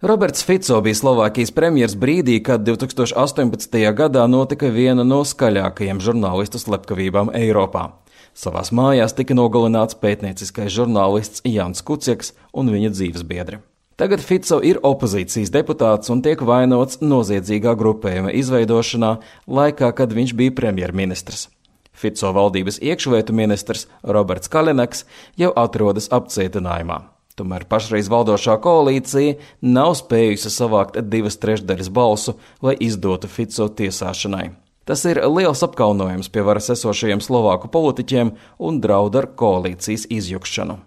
Roberts Fico bija Slovākijas premjers brīdī, kad 2018. gadā notika viena no skaļākajiem žurnālistu slepkavībām Eiropā. Savās mājās tika nogalināts pētnieciskais žurnālists Jans Kuciaks un viņa dzīvesbiedri. Tagad Fico ir opozīcijas deputāts un tiek vainots noziedzīgā grupējuma izveidošanā laikā, kad viņš bija premjerministrs. Fico valdības iekšlietu ministrs Roberts Kaļineks jau atrodas apcietinājumā. Tomēr pašreiz valdošā koalīcija nav spējusi savākt 2/3 balsu, lai izdotu Fico tiesāšanai. Tas ir liels apkaunojums pie varas esošajiem slovāku politiķiem un draud ar koalīcijas izjukšanu.